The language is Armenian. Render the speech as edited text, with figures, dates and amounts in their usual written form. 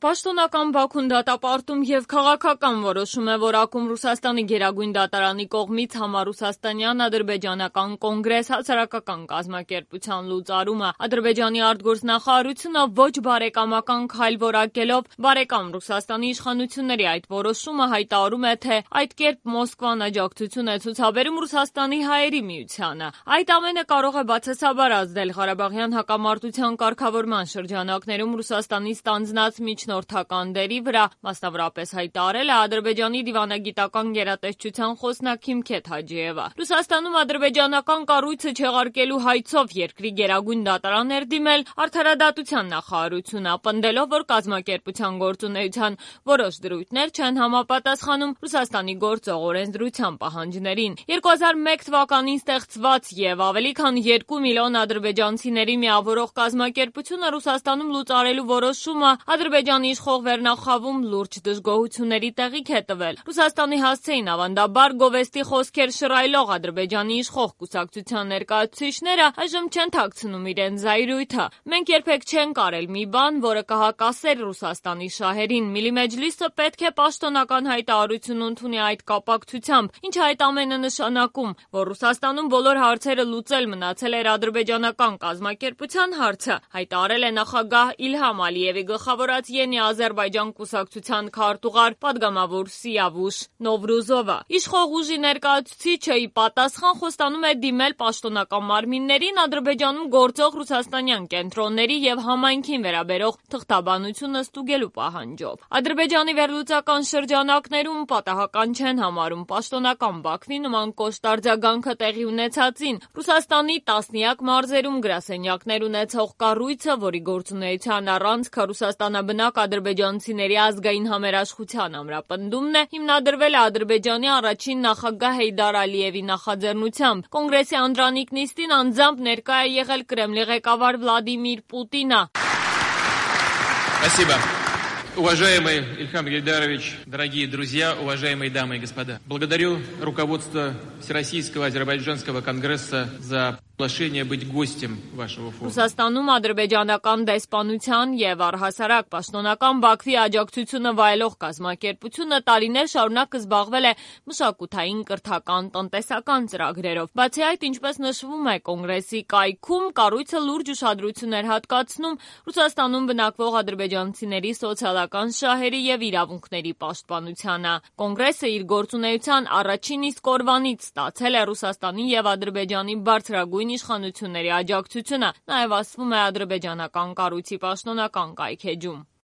Պաշտոնական Բաքուն դատապարտում եւ քաղաքական որոշում է որակում Ռուսաստանի գերագույն դատարանի կողմից համառուսաստանյան ադրբեջանական կոնգրես հասարակական կազմակերպության լուծարումը։ Ադրբեջանի արտգործնախարարությունը ոչ բարեկամական քայլ որակելով բարեկամ Ռուսաստանի իշխանությունների այդ որոշումը հայտարարում է, թե այդ կերպ Մոսկվան աջակցություն է ցուցաբերում Ռուսաստանի հայերի միությանը։ Այդ ամենը կարող է բացասաբար ազդել Ղարաբաղյան հակամարտության կարգավորման շրջանակներում Ռուսաստանի ստանձնած միջնորդական դերի վրա, մասնավորապես հայտարարել է Ադրբեջանի դիվանագիտական գերատեսչության խոսնակ Հիմքեթ Հաջիևը։ Ռուսաստանում ադրբեջանական կառույցը չեղարկելու հայցով երկրի գերագույն դատարան էր դիմել Արդարադատության նախարարությունը, պնդելով, որ կազմակերպության գործունեության որոշ դրույթներ չեն համապատասխանում Ռուսաստանի գործող օրենսդրության պահանջներին։ 2001 թվականին ստեղծված եւ ավելի քան 2 միլիոն ադրբեջանցիների միավորող կազմակերպությունը Ռուսաստանում լուծարելու որոշումը Ադրբեջանի իշխող վերնախավում լուրջ դժգոհությունների տեղիք է տվել։ Ռուսաստանի հասցեին ավանդաբար գովեստի խոսքեր շռայլող Ադրբեջանի իշխող կուսակցության ներկայացուցիչները այժմ չեն թաքցնում իրենց զայրույթը։ Մենք երբեք չենք արել մի բան, որը կհակասեր Ռուսաստանի շահերին։ Միլի Մեջլիսը պետք է պաշտոնական հայտարարություն ընդունի այդ կապակցությամբ, ինչը այդ ամենը նշանակում, որ Ռուսաստանում բոլոր հարցերը լուծել մնացել էր ադրբեջանական կազմակերպության հարցը, հայտարարել է նախագահ Իլհամ Ալիևի գլխավորած Յենի Ադրբեջան կուսակցության քարտուղար падգամավոր Սիավուշ Նովրուզովը։ Իշխող ուժի ներկայացուցիչը ի պատասխան խոստանում է դիմել պաշտոնական մարմիններին Ադրբեջանում գործող ռուսաստանյան կենտրոնների եւ համայնքին վերաբերող թղթաբանությունը ստուգելու պահանջով։ Ադրբեջանի վերլուծական շրջանակներում պատահական չեն համարում պաշտոնական Բաքվի նման կոշտ արձագանքը տեղի ունեցածին։ Ռուսաստանի տասնյակ մարզերում գրասենյակներ ունեցող կառույցը, որի գործունեության առանցքը ռուսաստանաբնակ ադրբեջանցիների ազգային համերաշխության ամրապնդումն է, հիմնադրվել է Ադրբեջանի առաջին նախագահ Հեյդար Ալիևի նախաձեռնությամբ։ Կոնգրեսի անդրանիկ նիստին անձամբ ներկա է եղել Կրեմլի ղեկավար Վլադիմիր Պուտինը։ Спасибо. Уважаемый Ильхам Гейдарович, дорогие друзья, уважаемые дамы и господа. Благодарю руководство Всероссийского Азербайджанского конгресса за приглашение быть гостем вашего форума. Ռուսաստանում ադրբեջանական դեսպանության եւ առհասարակ պաշտոնական Բաքվի աջակցությունը վայելող կազմակերպությունը տարիներ շարունակ զբաղվել է մշակութային, կրթական, տնտեսական ծրագրերով։ Բացի այդ, ինչպես նշվում է կոնգրեսի կայքում, կառույցը լուրջ ուշադրություն էր հատկացնում Ռուսաստանում բնակվող ադրբեջանցիների սոցիալական շահերի եւ իրավունքների պաշտպանությանը։ Կոնգրեսը իր գործունեության առաջին իսկ օրվանից ստացել է Ռուսաստանի եւ Ադրբեջանի բարձրագույն իշխանությունների աջակցությունը, նաև ասվում է ադրբեջանական կառույցի պաշտոնական կայքեջում։